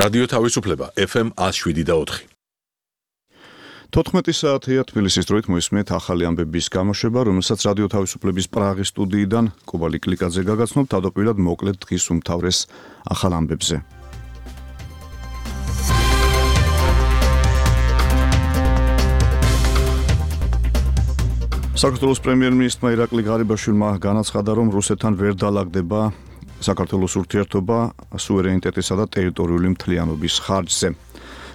რადიო თავისუფლება FM 107.4. 14 საათია თბილისის დროით მოისმენთ ახალი ამბების გამოშვება, რომელსაც რადიო თავისუფლების პრაღის სტუდიიდან კობალი კლიკაძე გაგაცნობთ თავდაპირველად მოკლედ დღის უმთავრეს ახალ ამბებზე. საქართველოს პრემიერ-მინისტრმა ირაკლი ღარიბაშვილმა განაცხადა, რომ რუსეთთან ვერ დაალაგდება საქართველოს ურთიერთობა სუვერენიტეტისა და ტერიტორიული მთლიანობის ხარჯზე.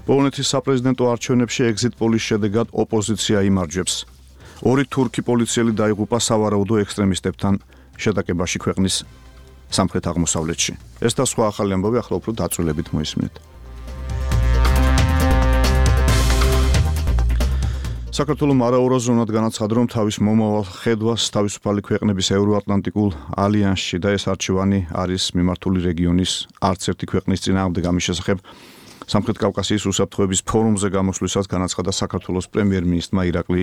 პოლონეთის საპრეზიდენტო არჩევნებში ეგზიტ პოლის შედეგად ოპოზიცია იმარჯვებს. 2 თურქი პოლიციელი დაიღუპა სავარაუდო ექსტრემისტებთან შეტაკებაში ქვეყნის სამხრეთ აღმოსავლეთში. ეს და სხვა ახალი ამბავი ახლა უფრო დაწვრილებით მოისმინეთ. საქართველოს არაევროზონად განაცხადა, რომ თავის მომავალ ხედვას თავისუფალი ქვეყნების ევროატლანტიკულ ალიანსში და ეს არჩევანი არის მიმართული რეგიონის არც ერთი ქვეყნის წინააღმდეგ. ამის შესახებ სამხრეთ კავკასიის უსაფრთხოების ფორუმზე გამოსვლისას განაცხადა საქართველოს პრემიერ-მინისტრმა ირაკლი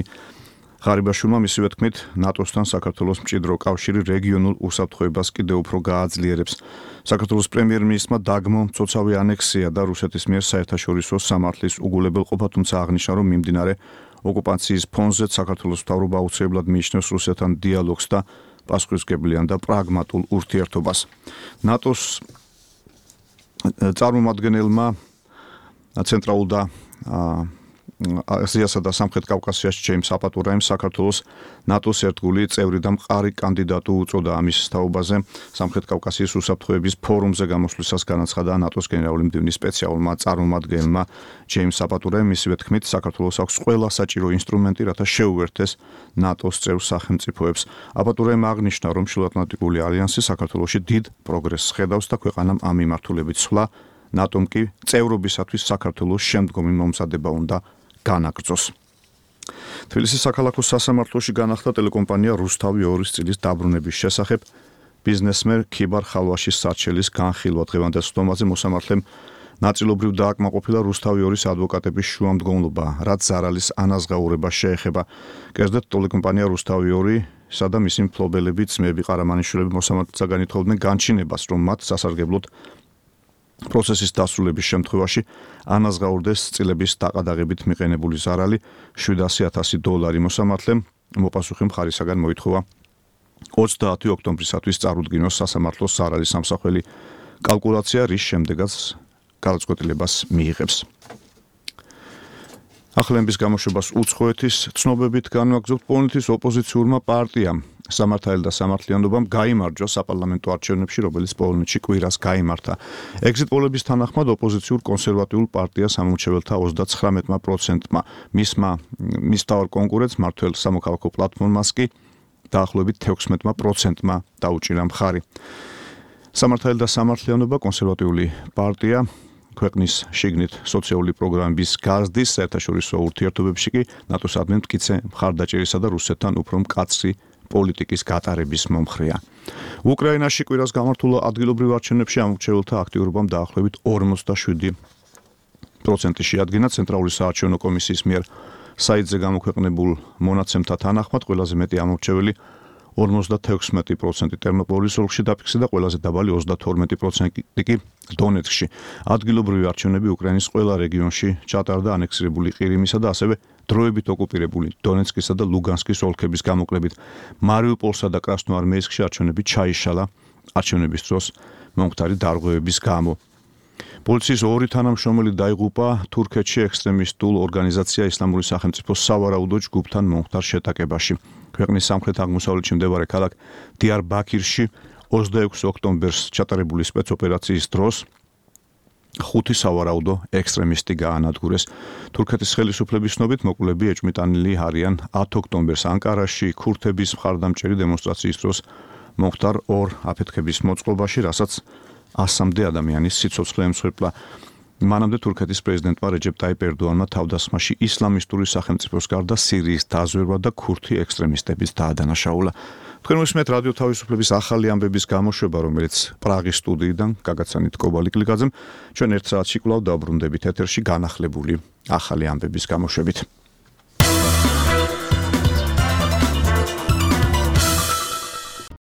ღარიბაშვილმა. მისივე თქმით, ნატოსთან საქართველოს მჭიდრო კავშირი რეგიონულ უსაფრთხოებას კიდევ უფრო გააძლიერებს. საქართველოს პრემიერ-მინისტრმა დაგმო მცოცავი ანექსია და რუსეთის მიერ საერთაშორისო სამართლის უგულებელყოფა, თუმცა აღნიშნა, რომ მიმდინარე ოკუპაციის ფონზეც საქართველოს მთავრობა აუცილებლად მიიჩნევს რუსეთთან დიალოგს და პასუხისმგებლიან და პრაგმატულ ურთიერთობას. ნატოს წარმომადგენელმა ცენტრალურ და აზიასა და სამხრეთ კავკასიაში ჯეიმს აპატურაიმ საქართველოს ნატოს ერთგული წევრი და მყარი კანდიდატი უწოდა. ამის თაობაზე სამხრეთ კავკასიის უსაფრთხოების ფორუმზე გამოსვლისას განაცხადა ნატოს გენერალური მდივნის სპეციალურმა წარმომადგენელმა ჯეიმს აპატურაიმ. მისივე თქმით, საქართველოს აქვს ყველა საჭირო ინსტრუმენტი, რათა შეუერთდეს ნატოს წევრ სახელმწიფოებს. აპატურაიმ აღნიშნა, რომ შუაატლანტიკური ალიანსი საქართველოში დიდ პროგრესს ხედავს და ქვეყანამ ამ მიმართულებით სვლა, ნატომ კი წევრობისათვის საქართველოს შემდგომი მომზადება უნდა განაგრძოს. თბილისის საქალაქო სასამართლოში განახლდა ტელეკომპანია რუსთავი 2-ის წილის დაბრუნების შესახებ ბიზნესმენ ქიბარ ხალვაშის სარჩელის განხილვა. დღევანდელ სხდომაზე მოსამართლემ ნაწილობრივ დააკმაყოფილა რუსთავი 2-ის ადვოკატების შუამდგომლობა, რაც ზარალის ანაზღაურებას შეეხება. კერძოდ ტელეკომპანია რუსთავი 2 სადა მისი მფლობელები ძმები ყარამანიშვილები მოსამართლეთა განითხოვდნენ განჩინებას, რომ მათ სასარგებლოდ პროცესის დასრულების შემთხვევაში ანაზღაურდეს წილების დაყადაღებით მიყენებული ზარალი $700,000. მოსამართლემ მოპასუხე მხარისაგან მოითხოვა 30 ოქტომბრისათვის წარუდგინოს სასამართლოს ზარალის სამსახველი კალკულაცია, რის შემდეგაც გადაწყვეტილებას მიიღებს. ახლემის გამოშვებას უცხოეთის ცნობებით განვაგრძობთ. პოლონეთის ოპოზიციურმა პარტიამ სამართალი და სამართლიანობამ გაიმარჯვა საპარლამენტო არჩევნებში, რომელიც პოლონეთში კვირას გაიმართა. ეგზიტ პოლების თანახმად ოპოზიციურ კონსერვატიულ პარტიას ამომრჩეველთა 39%-მა, მის მთავარ კონკურენტს მართველ სამოქალაქო პლატფორმას კი დაახლოებით 16%-მა დაუჭირა მხარი. სამართალი და სამართლიანობა კონსერვატიული პარტია ქვეყნის შიგნით სოციალური პროგრამების გაზრდის, საერთაშორისო ურთიერთობებში კი ნატოსადმი მტკიცე მხარდაჭერისა და რუსეთთან უფრო მკაცრი პოლიტიკის გატარების მომხრეა. უკრაინაში კვირას გამართულ ადგილობრივ არჩევნებში ამორჩეველთა აქტიურობამ დაახლოებით 47% შეადგინა. ცენტრალური საარჩევნო კომისიის მიერ საიტზე გამოქვეყნებულ მონაცემთა თანახმად ყველაზე მეტი ამორჩეველი 56% ტერნოპოლის ოლქში დაფიქსირდა და ყველაზე დაბალი 32% კი დონეცკში. ადგილობრივი არჩევნები უკრაინის ყველა რეგიონში ჩატარდა ანექსირებული ყირიმისა და ასევე დროებით ოკუპირებული დონეცკისა და ლუგანსკის ოლქების გამოკლებით. მარიუპოლსა და კრასნოარმეისკში არჩევნები ჩაიშალა არჩევნების დროს მომხდარი დარღვევების გამო. პოლიციის 2 თანამშრომელი დაიღუპა თურქეთში ექსტრემისტულ ორგანიზაცია ისლამური სახელმწიფოს სავარაუდო ჯგუფთან მომხდარ შეტაკებაში. ქვეყნის სამხრეთ აღმოსავლეთში მდებარე ქალაქ დიარბაქირში 26 ოქტომბერს ჩატარებული სპეცოპერაციის დროს 5 სავარაუდო ექსტრემისტი გაანადგურეს. თურქეთის ხელისუფლების ცნობით მოკლები ეჭვმიტანილი არიან 10 ოქტომბერს ანკარაში ქურთების მხარდამჭერი დემონსტრაციის დროს მომხდარ 2 აფეთქების მოწყობაში, რასაც 100-მდე ადამიანის სიცოცხლე ემსხვერპლა. მანამდე თურქეთის პრეზიდენტმა რეჯეპ ტაიპ ერდოანმა თავდასხმაში ისლამისტური სახელმწიფოს გარდა სირიის დაზვერვა და ქურთი ექსტრემისტების დაადანაშაულა. თქვენ მოსმენთ რადიო თავისუფლების ახალი ამბების გამოშვება, რომელიც პრაღის სტუდიიდან გაგაცანით კობალი კლიკაძემ. ჩვენ 1 საათში კვლავ დავბრუნდებით ეთერში განახლებული ახალი ამბების გამოშვებით.